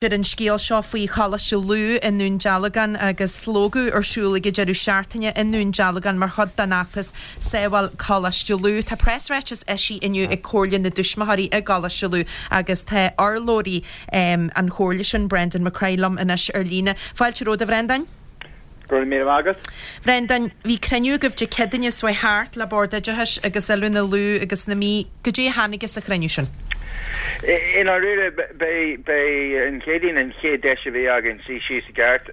Ar an scéal seo faoi Choláiste Lú i nDún Dealgan agus slógadh ar siúl ag an deireadh seachtaine i nDún Dealgan mar chuid den fheachtas Sábháil Coláiste Lú. Tá preasráiteas eisithe inniu ag Comhairle na dTuismitheoirí i gColáiste Lú agus tá urlabhraí an chomhairle sin, Brendan McCraith liom anois ar líne. Fáilte romhat a Bhrendáin. Go raibh míle maith agat. Bhrendáin, bhí cruinniú agaibh Dé Céadaoine seo chuaigh thart le Bord Oideachais agus Oiliúna Lú agus na Mí. Goidé a tháinig as an chruinniú sin? I ndáiríre, b'é an Chéadaoin an chéad deis a bhí againn suí síos i gceart,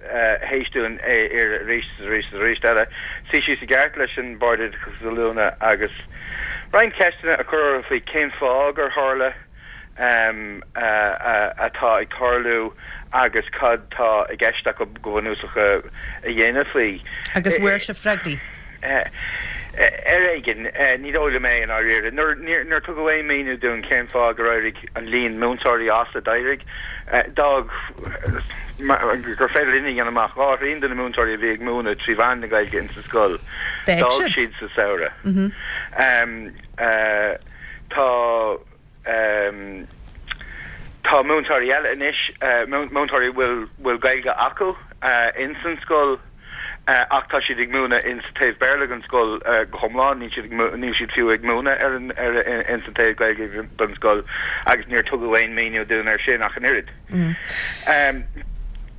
théis dúinn iarraidh arís is arís is arís eile, suí síos i gceart leis an Bord Oideachais agus Oiliúna agus roinnt ceisteanna a chur orthu faoi cén fáth gur tharla atá ag tarlú agus cad tá i gceist acu go bunúsach a dhéanamh faoi. Agus bhfuair sibh freagraí? Ar éigean. Ní dóigh liom é i ndáiríre. Níor tugadh aon mhíniú dúinn cén fáth gur éirigh an líon múinteoirí as a d'éirigh. D'fhág gur féidir linn a dhéanamh amach, 2/3 de na múinteoirí a bhí ag múineadh trí mheán na Gaeilge insa scoil, d'fhág siad sa samhradh. Tá. Tá múinteoirí eile anois, múinteoirí a bhfuil Gaeilge acu ins an scoil ach tá siad ag múineadh ins an taobh Béarla den scoil go hiomlán, níl siad níl siad fiú ag múineadh ar an ar ins an taobh Gaeilge den scoil agus níor tugadh aon mhíniú dúinn ar sin ach an oiread.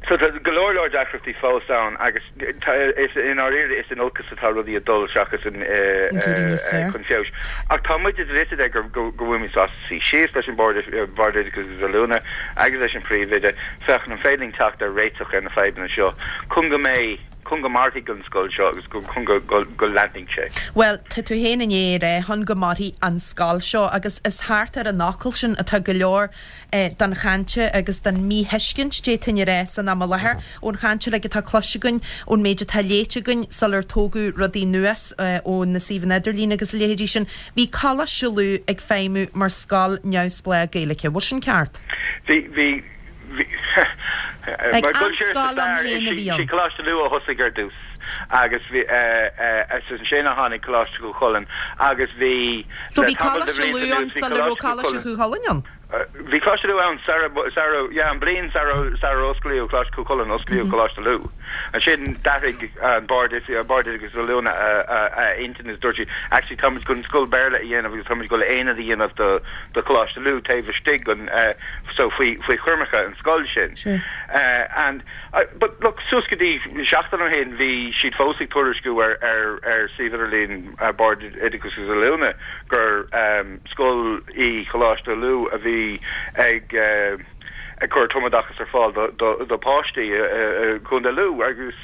So tá go leor leor deacrachtaí fós ann agus tá is i ndáiríre is in olcas atá rudaí ag dul seachas in chun feabhais. Ach tá muid is fios gur go bhfuilimid sásta suí síos leis an Bord Bord Oideachais agus Oiliúna agus leis an Phríomhoide féachaint an féidir linn teacht ar réiteach ar na fadhbanna seo chun go mbeidh chun go mairfidh an scoil seo agus chun go go leanfaidh sé. Bhuel, tá tú féin i ndiaidh a rá chun go mairfidh an scoil seo agus is thart ar an fhocal sin atá go leor den chaint agus den mhíthuiscint, d'fhéadfainn a rá, san am i láthair. Ón chaint uilig atá cloiste againn, ón méid atá léite againn sular tógadh rudaí anuas ó na suíomhanna idirlín agus a leithéidí sin, bhí Coláiste Lú ag feidhmiú mar scoil neamhspleách Gaeilge. Bhfuil sin ceart? Bhí, bhí, bhí. Like, an scoil ann féin a bhí ann. Sí Coláiste Lú a thosaigh ar dtús agus bhí, is ansin a tháinig Coláiste Chú Chulainn agus bhí, So bhí Coláiste Lú ann sula raibh Coláiste Chú Chulainn ann? Bhí Coláiste Lú ann sara, sara, yeah, an bliain sara, sarar osclaíodh Coláiste Chú Chulainn, osclaíodh Coláiste Lú. Ansin d'athraigh an Bord, Bord Oideachais agus Oiliúna a, a, a intinn agus dúirt siad, actually táimid chun scoil Béarla a dhéanamh agus táimid ag dul aonad a dhéanamh do, do Choláiste Lú taobh istigh den, so faoi, faoi choimirce an scoil sin. Sure. And, but look, suas go dtí seachtain ó shin bhí siad fós ag tuairisciú ar, ar, ar suíomh idirlín Bord Oideachais agus Oiliúna gur, Scoil í Coláiste Lú a bhí ag ag cur tumoideachas ar fáil do pháistí i gContae Lú agus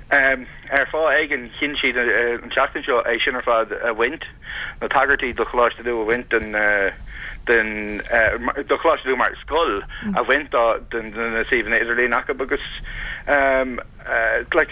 ar fáth éigin chinn siad an tseachtain seo é sin ar fad a bhaint, na tagairtí do Choláiste Lú a bhaint den den do Choláiste Lú mar scoil a bhaint de na suíomhanna idirlín acu agus like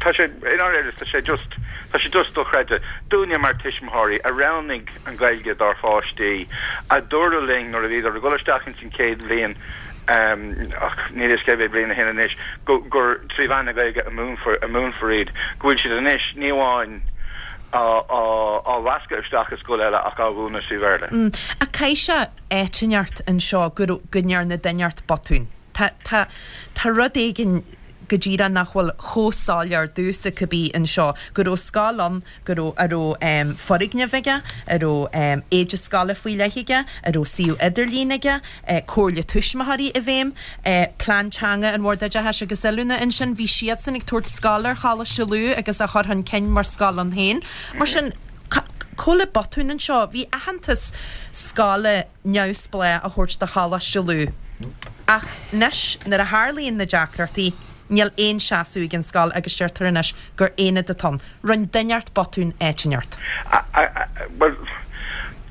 tá sé i ndáiríre tá sé just tá sé just dochreidte dúinne mar tuismitheoirí a roghnaigh an Ghaeilge dár pháistí a dúradh linn nuair a bhíodar ag dul isteach ins an chéad bhliain ach níl a fhios cé mhéad bliain ó shin anois go gur trí mheán na Gaeilge a múinfear a múinfear iad go bhfuil siad anois ní amháin á á á mheascadh isteach i scoil eile ach á mhúineadh trí Bhéarla. Ach caithfidh sé áit inteacht anseo go raibh go ndearna duine inteacht botún. Tá, tá, tá rud éigin go díreach nach bhfuil chomh soiléir domhsa cibé anseo, go raibh scoil ann, go raibh, a raibh foirgneamh aige, a raibh éide scoile faoi leith aige, a raibh suíomh idirlín aige, comhairle tuismitheoirí i bhfeidhm, plean teanga an Bhoird Oideachais agus Oiliúna ansin, bhí siadsan ag tabhairt scoil ar Choláiste Lú agus á chur chun cinn mar scoil ann féin. Mar sin, cá bhfuil an botún anseo? Bhí aitheantas scoile. neamhspleách a thabhairt do Choláiste Lú. Ach anois, nuair a tharlaíonn na deacrachtaí, níl aon seasamh ag an scoil agus deirtear anois gur aonad atá ann. Rinne duine inteacht botún áit inteacht. Bhuel,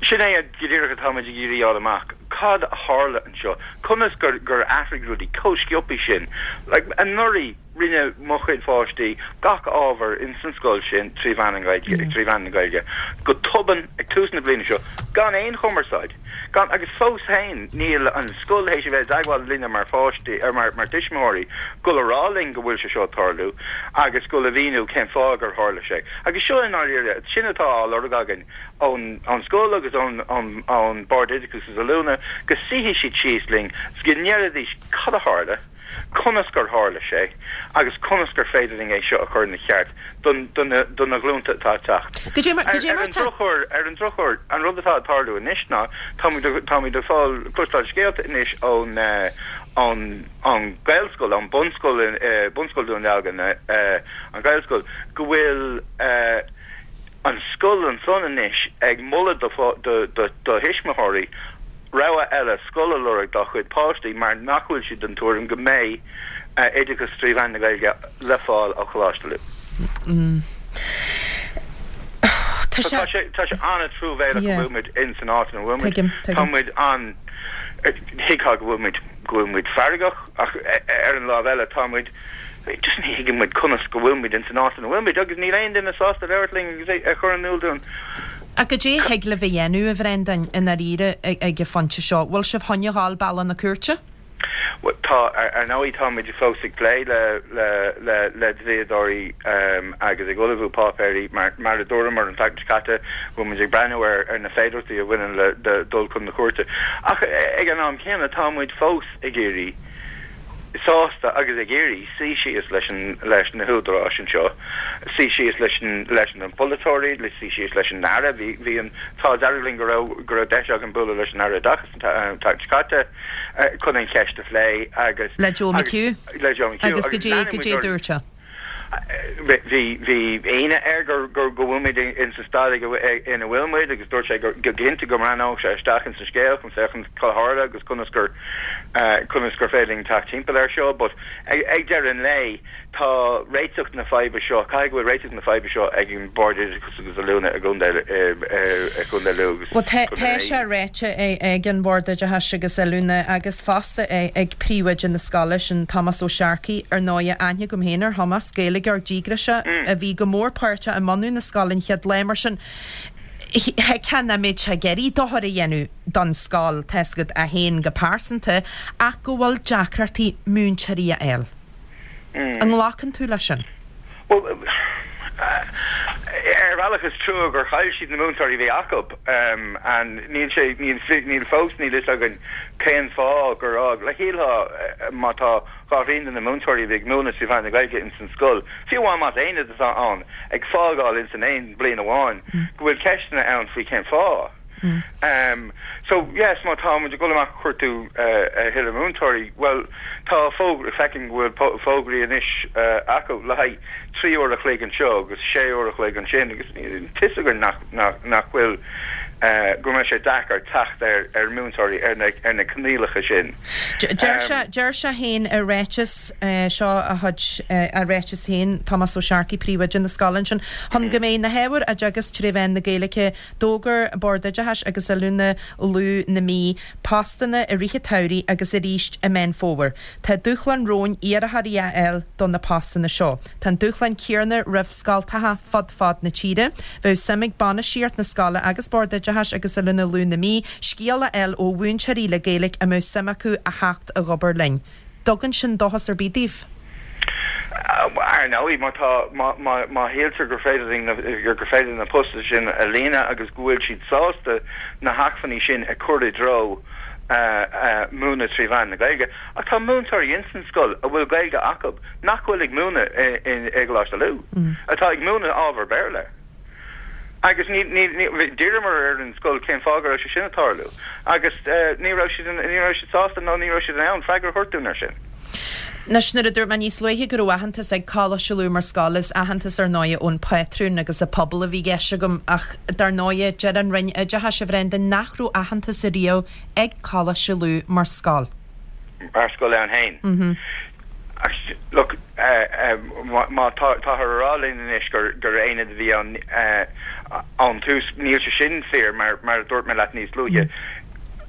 sin é go díreach atá muid ag iarraidh a fháil amach. Cad a tharla anseo? Conas gur athraigh rudaí chomh sciobtha sin? Like, anuraidh. Rinne mo chuid pháistí gach ábhar ins an scoil sin trí mheán an Ghaeilge, trí mheán na Gaeilge. Go tobann, ag tús na bliana seo, gan aon chumarsáid, gan, agus fós féin níl an scoil théis a bheith i dteagmháil linne mar pháistí, ar mar, mar tuismitheoirí, dul a rá linn go bhfuil sé seo ag tarlú agus dul a mhíniú cén fáth gur tharla sé. Agus seo i ndáiríre, sin atá á lorg againn ón, ón scoil agus ón, ón, ón Bord Oideachais agus Oiliúna, go suífidh siad síos linn 's go ndéarfaidís cad a tharla, conas gur tharla sé agus conas gur féidir linn é seo a chur ina cheart don do na do na glúnta atá ag teacht. Goidé mar goidé Ar mar an tá. drochuair ar an drochuair an rud atá ag tarlú anois ná táimid táimid ag fáil cloisteáil scéalta anois ón ón ón Gaelscoil ón bunscoil Bunscoil Dún Dealgan an Ghaelscoil go bhfuil an scoil ansan anois ag moladh do do do thuismitheoirí rogha eile scoil a lorg dá chuid páistí mar nach bhfuil siad den tuairim go mbeidh oideachas trí mheán na Gaeilge le fáil ó Choláiste Lú. Tá sé. Tá sé tá sé an-truamhéalach go bhfuil muid in san áit ina bhfuil muid. Tuigim, Tá tuigim. muid an, thuigfeá go bhfuil muid go bhfuil muid feargach ach ar an lámh eile tá muid Just ní thuigeann muid conas go bhfuil muid ins an áit ina bhfuil muid agus níl aon duine sásta labhairt linn agus é a chur in iúl dúinn. Ach goidé a thig libh a dhéanamh, a Bhreandáin, i ndáiríre ag an phointe seo? Bhfuil sibh chun a ghabháil bealach na cúirte? Bhuel, tá, ar ndóigh, tá muid fós ag plé le, le, le, le dlíodóirí agus ag ullmhú páipéirí mar, mar a dúramar an tseachtain seo caite, bhfuil muid ag breathnú ar, ar na féidearthachtaí a bhaineann le, le dul chun na cúirte. Ach ag an am céanna, tá muid fós ag iarraidh, sásta agus ag iarraidh suí síos leis an leis na húdaráis anseo, suí síos leis an leis na polaiteoirí, le suí síos leis an Aire. Bhí bhí an t-ádh dearg linn go raibh go raibh deis againn bualadh leis an Aire Oideachais an tseachtain seo caite chun an cheist a phlé agus Le Joe McHugh. le Joe McHugh Agus agus goidé leanfaidh muid goidé a orainn. dúirt sé? Bhí bhí ionadh air gur gur go bhfuil muid in sa staid ag ina bhfuil muid agus dúirt sé gur go cinnte go mbreathnódh sé isteach in sa scéal chun féachaint cad a tharla agus conas gur conas gur féidir linn teacht timpeall air seo but ag ag deireadh an lae tá réiteach na faidhbe seo caithfidh go bhfuil réiteach na faidhbe seo ag an Bord Oideachais agus Oiliúna i gContae i gContae Lú agus Bhuel tá Contae tá na sé ráite ag an Bhord Oideachais agus Oiliúna agus fosta ag príomhoide na scoile, sin Tomás Ó Searcaigh, ar ndóighe, aithne agam féin ar Thomás, Gaeilgeoir díograiseach a bhí go mór páirteach i mbunú na scoile an chéad lá, mar sin thuigfeá nach mbeadh sé ag iarraidh dochar a dhéanamh don scoil, tá's agat, é féin go pearsanta, ach go bhfuil deacrachtaí múinteoirí a fháil. An nglacann tú leis sin? Bhuel, ar bhealach is trua gur chaill siad na múinteoirí a bhí acu. And níl sé, níl, níl fós, níl fhios againn cén fáth gur fhág. Like shílfeá má tá dhá thrian de na múinteoirí a bhí ag múineadh trí mheán na Gaeilge ins an scoil, fiú amháin más aonad atá ann, ag fágáil ins an aon bhliain amháin, go bhfuil ceisteanna ann faoi cén fáth. So, yes, má tá muid ag dul amach ag cuartú a thuilleadh múinteoirí, bhuel, tá fógra, feicim go bhfuil fógraí anois acu le haghaidh 3 uair a chloig anseo agus 6 uair a chloig ansin agus tá fhios againn nach, nach, nach bhfuil, go mbeidh sé deacair teacht ar, ar mhúinteoirí ar na, ar na coinníollacha sin. Deir sé, deir sé féin i ráiteas, seo a chuid, a ráiteas féin, Tomás Ó Searcaigh, príomhoide na scoile ansin, chun go mbeidh na hábhair á dteagasc tré mheán na Gaeilge, D'fhógair Bord Oideachais agus Oiliúna Lú na Mí postanna i rith an tsamhraidh agus arís i Meán Fómhair. Tá dúshlán romhainn iarrthóirí a fháil do na postanna seo. Tá an dúshlán céanna roimh scoltacha fud fad na tíre. Bheadh suim ag bainistíocht na scoile agus Bord Oideachais agus Oiliúna Lú na Mí scéala a fháil ó mhúinteoirí le Gaeilge a mbeadh suim acu a theacht ag obair linn. dtugann sin dóchas ar bith daoibh? Ar ndóigh, má tá, má shíltear gur féidir linn, gur féidir na postanna sin a líonadh agus go bhfuil siad sásta na hacmhainní sin a chur i dtreo múineadh trí mheán na Gaeilge. Ach tá múinteoirí ins an scoil a bhfuil Gaeilge acu nach bhfuil ag múineadh i gColáiste Lú, atá ag múineadh ábhar Béarla. Agus ní, ní, ní, d'iarramar ar an scoil cén fáth go raibh sé sin ag tarlú agus ní raibh siad, ní raibh siad sásta nó ní raibh siad in ann freagra a thabhairt dúinn air sin. Anois, nuair a dúirt mé níos luaithe go raibh aitheantas ag Coláiste Lú mar scoil, is aitheantas ar ndóighe ón bpátrún agus an pobal a bhí i gceist agam ach dar ndóighe deir an Roinn Oideachais, a Bhrendan, nach raibh aitheantas ariamh ag Coláiste Lú mar scoil. Mar scoil ann féin. Look, má táthar a rá linn anois gur aonad a bhí ann ón tús, níl sé sin fíor mar mar a dúirt mé leat níos luaithe,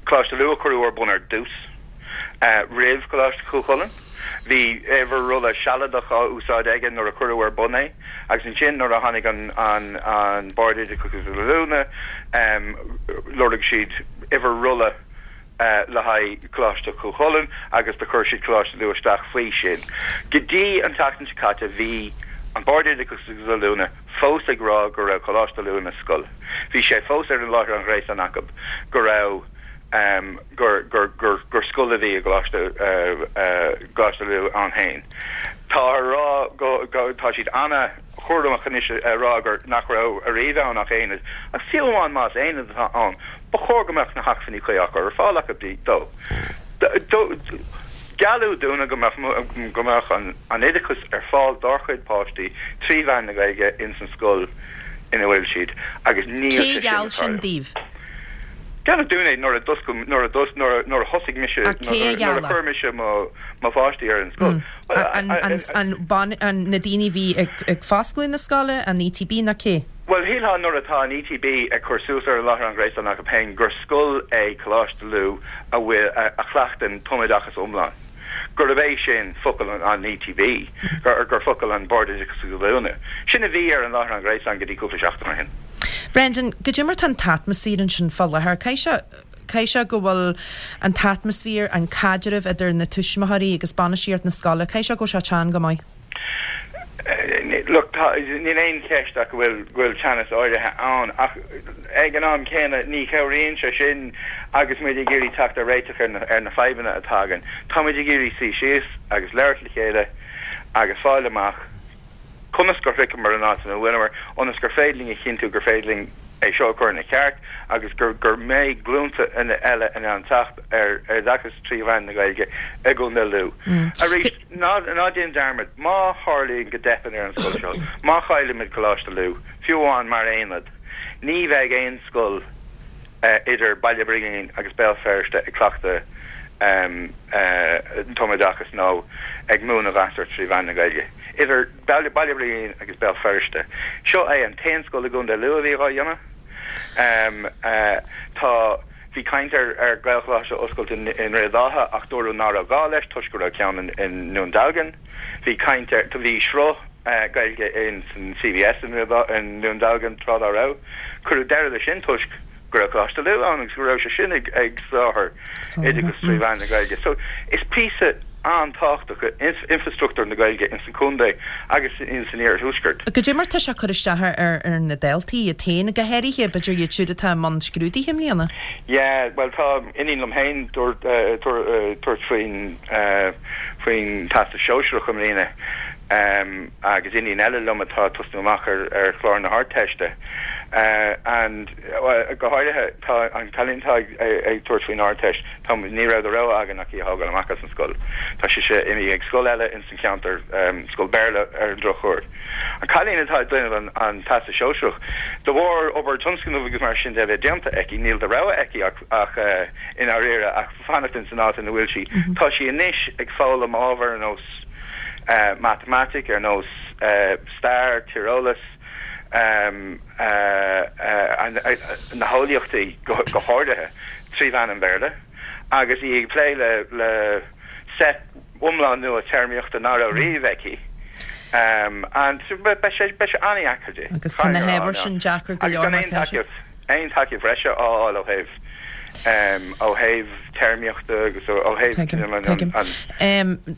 Coláiste Lú a cuireadh ar bun ar dtús, roimh Choláiste Chú Chulainn. Bhí uimhir rolla sealadach á úsáid aige nuair a cuireadh ar bun é agus ansin nuair a tháinig an Bord Oideachais agus Oiliúna lorg siad uimhir rolla le haghaidh Coláiste Chú Chulainn agus do chuir siad Coláiste Lú isteach faoi sin. Go dtí an tseachtain seo caite bhí an Bord Oideachais agus Oiliúna fós ag rá go raibh Coláiste Lú ina scoil. Bhí sé fós ar an láithreán ghréasáin acu go raibh gur gur gur gur scoil a bhí i gColáiste Coláiste Lú ann féin. Tá a rá go go tá siad ana chúramach anois a rá gur nach raibh ariamh ann ach aonad, ach fiú amháin más aonad atá ann, ba chóir go mbeadh na hacmhainní cuí á gcur ar fáil acu dó. Gealladh dúinne go mbeadh go mbeadh an an oideachas ar fáil dár chuid páistí trí mheán na Gaeilge ins an scoil ina bhfuil siad agus níl Cé sé sin gheall ag sin tarlú. daoibh? Gealladh dúinn é nuair a d'oscail, nuair a d'os, nuair a, nuair a thosaigh mise, Ach cé a nuair gheall a é? chuir mise mo, mo pháistí ar an scoil. Bhuel, An, an, an, ban, an, na daoine a bhí ag, ag foscladh na scoile, an ETB nó cé? Bhuel, shílfeá nuair atá an ETB ag cur suas ar a láithreán ghréasáin acu féin gur scoil é Coláiste Lú a bhfuil, a, a chleachtann tumoideachas iomlán, gurb é sin focal an, an ETB, gur, gur focal an Bord Oideachais agus Oiliúna. Sin a bhí ar an láithreán ghréasáin go dtí cúpla seachtain ó shin. Brendan, goidé mar tá an t-atmaisféar ansin fá láthair? Caithfidh sé, caithfidh sé go bhfuil an t-atmaisféar, an caidreamh idir na tuismitheoirí agus bainistíocht na scoile, caithfidh sé go bhfuil sé teann go maith. Look, tá, níl aon cheist ach go bhfuil, go bhfuil teannas áirithe ann ach ag an am céanna ní chabhraíonn sé sin agus muid ag iarraidh teacht ar réiteach ar na, ar na fadhbanna atá againn. Tá muid ag iarraidh suí síos agus labhairt le chéile agus fáil amach conas gur shroicheamar an áit ina bhfuileamar ionas gur féidir linn a chinntiú gur féidir linn é seo a chur ina cheart agus gur gur mbeidh glúnta eile in ann teacht ar oideachas trí mheán na Gaeilge i gContae Lú. Arís, ná ná déan dearmad, má tharlaíonn go dteipeann ar an scoil seo, má chaillimid Coláiste Lú, fiú amháin mar aonad, ní bheidh aon scoil idir Baile Brigín agus Béal Feirste ag cleachtadh tumoideachas nó ag múineadh gasúr trí mheán na Gaeilge. Idir Baile Brigín agus Béal Feirste. Seo é an t-aon scoil i gContae Lú a bhí dhá dhéanamh. Tá, bhí caint ar Ghaelcholáiste a oscailt i nDroichead Átha ach dúradh ná raibh gá leis toisc go raibh ceann i nDún Dealgan. Bhí caint ar, bhí sruth Gaeilge in san CBS i nDún Dealgan tráth dá raibh. Cuireadh deireadh leis sin toisc go raibh Coláiste Lú ann agus go raibh sé sin ag soláthar oideachas trí mheán na Gaeilge. So is píosa an-tábhachtach é infreastruchtúr na Gaeilge ins an chontae agus ins an iarthuaisceart. Goidé mar tá sé ag cur isteach ar na daltaí iad féin, go háirithe, b'fhéidir iad siúd atá i mbun scrúduithe i mbliana? Yeah, bhuel tá iníon liom féin ag tabhairt faoin faoin Teastas Sóisearach i mbliana agus iníon eile liom atá ag tosnú amach ar chlár na hArdteiste and go háirithe tá an cailín atá ag tabhairt faoin Ardteist, tá, ní raibh de rogha againn ach í a thógáil amach as an scoil. Tá sise imithe ag scoil eile ins an cheantar, scoil Béarla ar an drochuair. An cailín atá ag déanamh an Teastas Sóisearach, de bharr obair tionscnaimh agus mar sin de a bheith déanta aici, níl de rogha aici ach, ach i ndáiríre, ach fanacht ins an áit ina bhfuil sí. Tá sí anois ag foghlaim ábhar ar nós matamaitic, ar nós stair, tíreolas, na heolaíochtaí go háirithe, trí mheán an Bhéarla, agus í ag plé le seit iomlán nua téarmaíochta ná raibh riamh aici. And beidh sé an-dheacair di. Agus tá na hábhair sin deacair go leor mar tá siad. Aon tacaíocht bhreise á fháil ó thaobh ó thaobh téarmaíochta agus ó thaobh Tuigim, tuigim. an.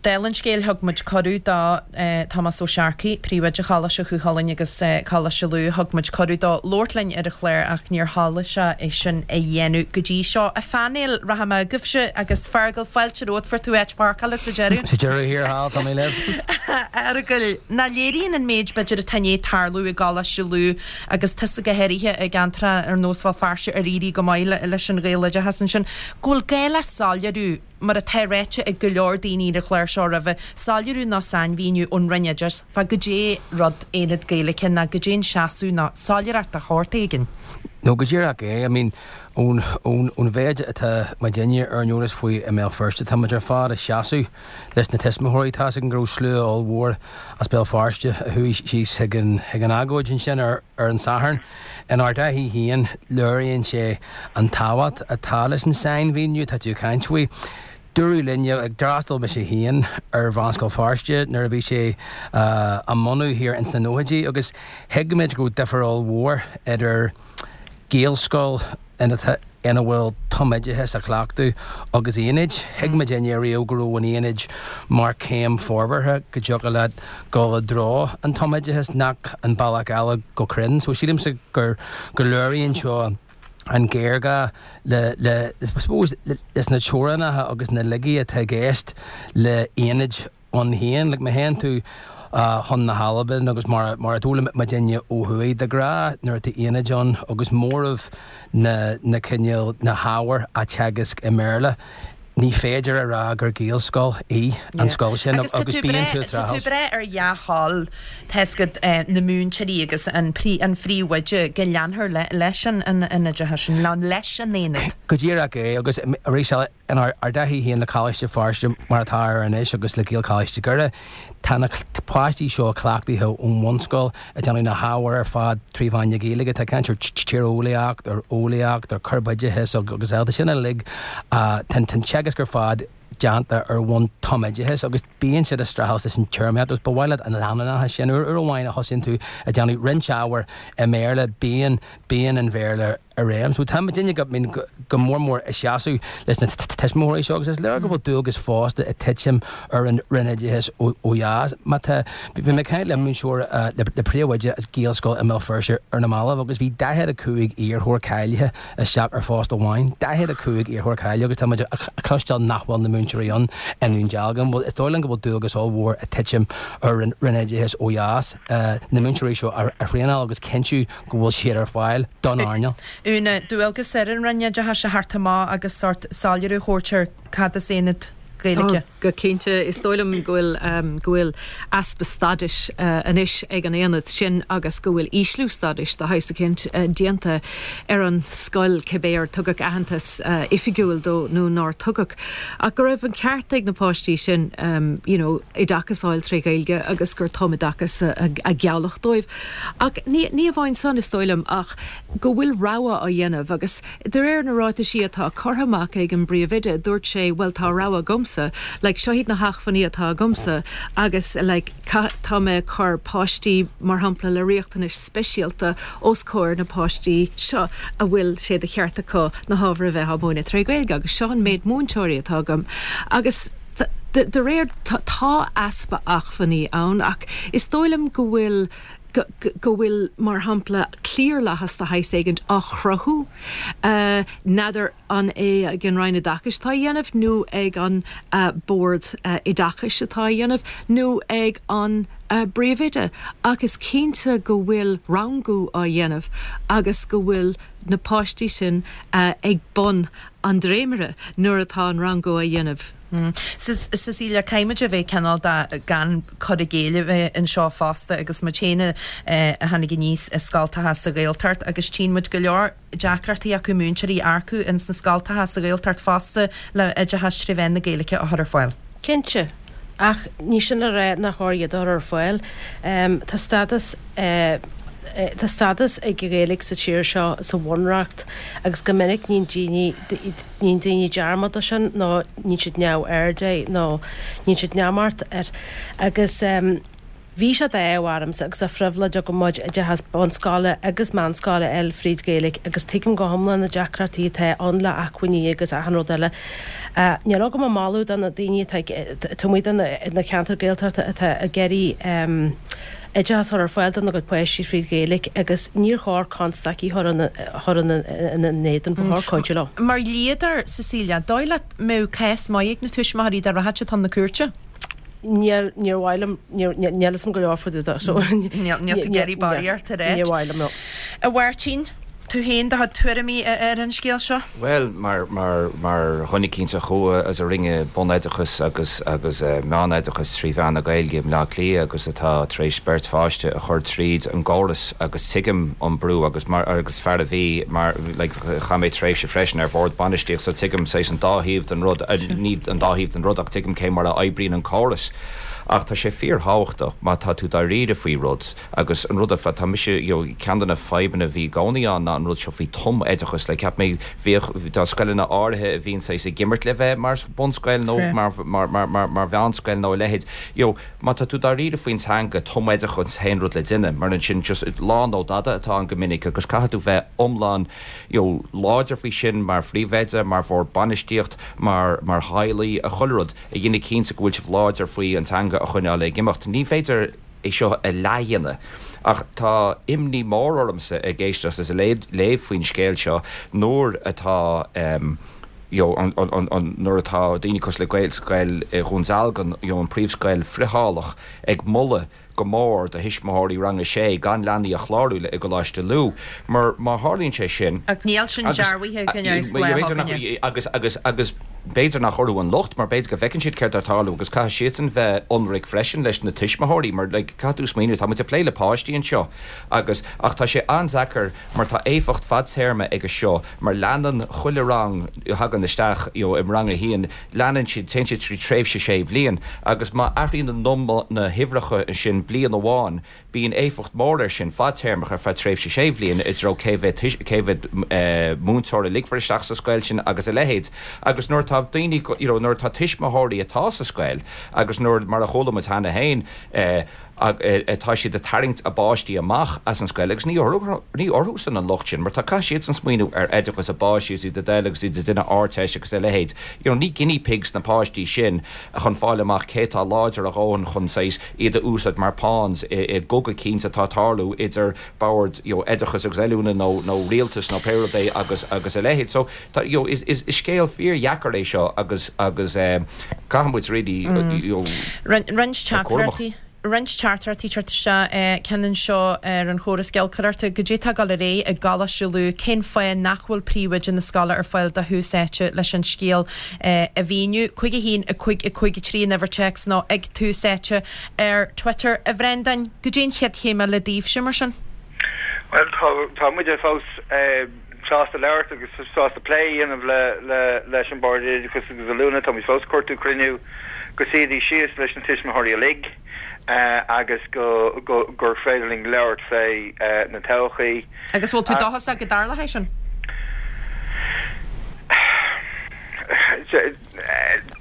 Dála an scéil, thug muid cuireadh do Tomás Ó Searcaigh, Príomhoide Choláiste Chú Chulainn agus Coláiste Lú, thug muid cuireadh dó labhairt linn ar an chlár ach níor thoiligh sé é sin a dhéanamh go dtí seo. A phainéal, rachaidh mé chugaibhse agus Feargal, fáilte romhat, fuair tú áit páirceála sa deireadh. Sa deireadh thiar thall, tá mé libh. A Fheargail, nach léiríonn an méid b'fhéidir atá i ndiaidh tarlú i gColáiste Lú agus tusa go háirithe i gceantracha ar nós Bhéal Feirste ar éirigh go maith leis an Ghaeloideachas ansin, go bhfuil gá le soiléiriú, mar atá ráite ag go leor daoine ar an chlár seo roimhe, soiléiriú nó sainmhíniú ón Roinn Oideachais fá goidé rud Aonad Gaeilge nó goidé an seasamh nó soiléireacht de shórt éigin. No, go díreach é. I mean, ón, ón, ón mhéid atá muidinne ar an eolas faoi i mBéal Feirste, tá muid ar fad ag seasamh leis na tuismitheoirí. Tá's againn go raibh slua ollmhór as Béal Feirste a chuaigh síos chuig an chuig an agóid ansin ar ar an Satharn. Inár dtaithí féin, léiríonn sé an tábhacht atá leis an sainmhíniú atá tú ag caint faoi. Dúradh linn, d'fhreastail mise féin ar Mheánscoil Feirste nuair a bhí sé á mbunú thiar ins na nóchaidí agus thuig muid go raibh difear ollmhór idir Gaelscoil ina ina bhfuil tumoideachas á chleachtadh agus aonaid. Thuig muidinne ariamh go raibh an aonaid mar chéim forbartha go dtiocfadh leat dul i dtreo an tumoideachas nach an bealach eile go cruinn. So sílimse gur go léiríonn seo an géarghá le le I suppose leis na teorainneacha agus na laigí atá i gceist le aonaid ann féin. Like má théann tú chun na hAlban agus mar mar a d'fhoghlaim muidinne ó thuaidh, de ghnáth nuair atá aonaid ann agus móramh na na cineál na hábhair á teagasc i mBéarla, ní féidir a rá gur Gaelscoil í an scoil sin Agus tá tú bíonn tú ag tá tú breith ar dhea-thoil tá 'fhios agat na múinteoirí agus an an phríomhoide go leanfar leis an an oideachas sin, leis an aonad. Go díreach é agus arís eile inár dtaithí féin le Coláiste Feirste mar atá air anois agus le Gaelcholáiste Dhoire, tá na páistí seo cleachtaithe ón bhunscoil ag déanamh na hábhair ar fad trí mheán na Gaeilge. Tá caint ar tíreolaíocht, ar eolaíocht, ar chorpoideachas agus eile. Tá sin uilig, tá an teagasc ar fad déanta ar bhonn tumoideachais agus bíonn siad ag streachailt leis an téarmaíocht agus ba mhaith leat an leanúnachas sin. Uair amháin a thosaíonn tú ag déanamh roinnt ábhair i mBéarla, bíonn, bíonn an Bhéarla i réim. So tá muidinne go, mean, go mór mór ag seasamh leis na tuismitheoirí seo agus is léir go bhfuil dualgas fosta ag titim ar an Roinn Oideachais ó dheas. Má tá, bhí mé ag caint le múinteoir, le príomhoide as Gaelscoil i mBéal Feirste ar na mallaibh agus bhí 45 iarrthóir cáilithe isteach ar phost amháin. 45 iarrthóir cáilithe agus tá muid ag cloisteáil nach bhfuil na múinteoirí ann i nDún Dealgan. Bhuel, is dóigh liom go bhfuil dualgas ollmhór ag titim ar an Roinn Oideachais ó dheas na múinteoirí seo a thraenáil agus cinntiú go bhfuil siad ar fáil don earnáil. Úna, dualgas ar an Roinn Oideachais a theacht amach agus sórt soiléiriú a thabhairt ar cad is aonad Gaeilge. Go cinnte, is dóigh liom go bhfuil go bhfuil easpa stádais anois ag an aonad sin agus go bhfuil ísliú stádais de shaghas eicínt déanta ar an scoil cibé ar tugadh aitheantas oifigiúil dó nó nár tugadh. Ach go raibh an ceart ag na páistí sin you know oideachas a fháil tré Ghaeilge agus gur tumoideachas a gealladh dóibh. Ach ní ní amháin san, is dóigh liom, ach go bhfuil rogha á dhéanamh agus de réir na ráitisí atá curtha amach ag an bpríomhoide, dúirt sé, bhuel tá rogha agamsa, like seo iad na hachmhainní atá agamsa agus like tá mé ag cur páistí mar shampla le riachtanais speisialta os comhair na páistí seo a bhfuil sé de cheart acu na hábhair a bheith á múineadh tré Ghaeilge agus seo an méid múinteoirí atá agam agus De réir, tá easpa achmhainní ann ach is dóigh liom go bhfuil, go bhfuil, mar shampla, cliarlathas de shaghas éigint á chruthú. N'fheadar an é ag an Roinn Oideachais atá á dhéanamh nó ag an Bord Oideachais atá á dhéanamh nó ag an bpríomhoide ach is cinnte go bhfuil rangú á dhéanamh agus go bhfuil na páistí sin ag bun an dréimire nuair atá an rangú á dhéanamh. Cecilia, caithfimid a bheith cineál de gan cur i gcéill a bheith anseo fosta agus muid féin a tháinig aníos i scoltacha sa Ghaeltacht agus tchíonn muid go leor deacrachtaí acu múinteoirí a earcú ins na scoltacha sa Ghaeltacht fosta le oideachas tré mheán na Gaeilge a chur ar fáil. Cinnte. Ach ní sin le rá nach chóir iad a chur ar fáil. Tá stádas tá stádas ag an Ghaeilge sa tír seo sa Bhunreacht agus go minic níonn daoine níonn daoine dearmad de sin nó níonn siad neamhaird de nó níonn siad neamart air. Agus bhí sé d'ádh ormsa agus de phribhléid agam muid oideachas bunscoile agus meánscoile a fháil fríd Ghaeilge agus tuigim go hiomlán na deacrachtaí atá ann le acmhainní agus achan rud eile. Níl agam ach moladh do na daoine atá ag taobh amuigh de na ceantair Gaeltachta atá ag iarraidh oideachas a chur ar fáil dona gcuid páistí fríd Ghaeilge agus níor chóir constaicí a chur ina n-éadan, ba chóir cuidiú leo. Mar dhlíodóir, Cecilia, dóigh leat mbeadh cás maith ag na tuismitheoirí dá rachadh siad chun na cúirte? Níl, níor mhaith liom, níor, níl fhios a'm go leor fá dtaobh de, so. Níl, níl tú ag iarraidh barraíocht a ráit. Níor mhaith liom, no. A Mháirtín, tú féin, do chuid tuairimí ar an scéal seo? Bhuel, mar, mar, mar dhuine eicínt a chuaigh agus a rinne bunoideachas agus, agus meánoideachas trí mheán na Gaeilge i mBleá Cliath agus atá tar éis beirt pháiste a chur tríd an gcóras agus tuigim an brú agus mar, agus fear a bhí mar, like, Chaith mé tréimhse freisin ar bhord bainistíochta so tuigim saghas an dá thaobh den rud, ní an dá thaobh den rud ach tuigim cé mar a oibríonn an córas. Ach tá sé fíorthábhachtach má tá tú dáiríre faoi rud agus an rud ar fad, tá mise, you know, ceann de na fadhbanna a bhí i gcónaí ann ná. an rud seo faoi tumoideachas, like cheap mé bhíodh, tá scoileanna áirithe a bhíonn saghas ag imirt le bheith mar bunscoil nó mar, mar, mar, mar, mar mheánscoil nó a leithéid. You know, má tá tú dáiríre faoin teanga, tumoideachas an t-aon rud le déanamh, mar ansin just lá nó dada atá ann go minic agus caithfidh tú bheith iomlán, you know, láidir faoi sin mar phríomhoide, mar bhord bainistíocht, mar, mar theaghlaigh, chuile rud a dhéanamh cinnte go bhfuil sibh láidir faoi an teanga a choinneáil ag imeacht. Ní féidir é seo a leathdhéanamh. Ach tá imní mór ormsa ag éisteacht is ag léamh faoin scéal seo nuair atá you know, an, an, an, nuair atá daoine cosúil le Gaelscoil Dhún Dealgan, you know, an príomhscoil friotháileach ag moladh go mór do thuismitheoirí rang a sé gan leanaí a chlárú le i gColáiste Lú. Mar má tharlaíonn sé sin. Ach níl sin dearbhaithe ag an neamhspleách againne. Agus, agus, agus b'fhéidir nach orthu an locht mar b'fhéidir go bhfeiceann siad céard atá ag tarlú agus caithfidh siadsan bheith ionraic freisin leis na tuismitheoirí mar like caithfidh tú smaoineamh tá muid ag plé le páistí anseo agus ach tá sé an-deacair mar tá éifeacht fadtéarma aige seo mar leanann chuile rang a thagann isteach you know i rang a haon leanann siad téann siad trí tréimhse sé bhliain agus má athraíonn na na huimhreacha sin bliain amháin Bíonn éifeacht mhór air sin, fadtéarmach, ar feadh tréimhse sé bhliain, i dtreo cé mhéad cé mhéad múinteoir a ligfear isteach sa scoil sin agus a leithéid. Agus nuair atá daoine, you know, nuair atá tuismitheoirí atá sa scoil agus nuair, mar a chuala muid cheana féin, atá siad ag tarraingt a bpáistí amach as an scoil agus ní orthu, ní orthusan an locht sin mar tá, caithfidh siadsan smaoineamh ar oideachas a bpáistí agus iad ag dul agus iad ag déanamh Ardteist agus a leithéid. You know, ní guinea pigs na páistí sin chun fáil amach cé atá láidir a dhóthain chun saghas, iad a úsáid mar pawns i gcogadh eicínt atá ag tarlú idir bord you know oideachais agus oiliúna nó nó rialtas nó pé rud é agus agus a leithéid. So tá you know is is is scéal fíordheacair é seo agus agus eh caithfidh muid really you know Roinnt bheith cúramach. teachtaireachtaí roinnt teachtaireachtaí ag teacht isteach ceann anseo ar an chóras giolcaireachta. Goidé tá ag dul ar aghaidh i gColáiste Lú? Cén fáth nach bhfuil príomhoide na scoile ar fáil do Thús Áite leis an scéal a mhíniú. 5 1 5 5 3 an uimhir téacs nó ag Tús Áite ar Twitter. A Bhreandáin, goidé an chéad chéim eile daoibhse mar sin? Bhuel, tá, tá muide fós sásta labhairt agus sásta plé a dhéanamh le, le, leis an Bord Oideachais agus Oiliúna. Táimid fós ag cuartú cruinniú go suífidís síos leis na tuismitheoirí uilig agus go, go, gur féidir linn labhairt fé na todhchaí. Agus bhfuil tú dóchasach go dtarlóidh sé sin?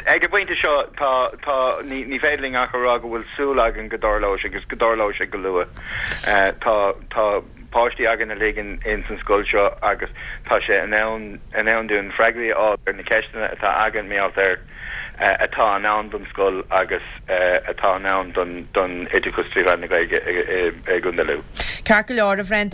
Ag an bpointe seo, tá, tá, ní, ní féidir linn ach a rá go bhfuil súil againn go dtarlóidh sé agus go dtarlóidh sé go luath. Tá, tá páistí againn uilig in, ins an scoil seo agus tá sé in am, in am dúinn freagraí a fháil ar na ceisteanna atá againn mar gheall ar atá in ann don scoil agus atá in ann don, don oideachas trí mheán na Gaeilge i, i, i gContae Lú. Ceart go leor, a Bhreandáin.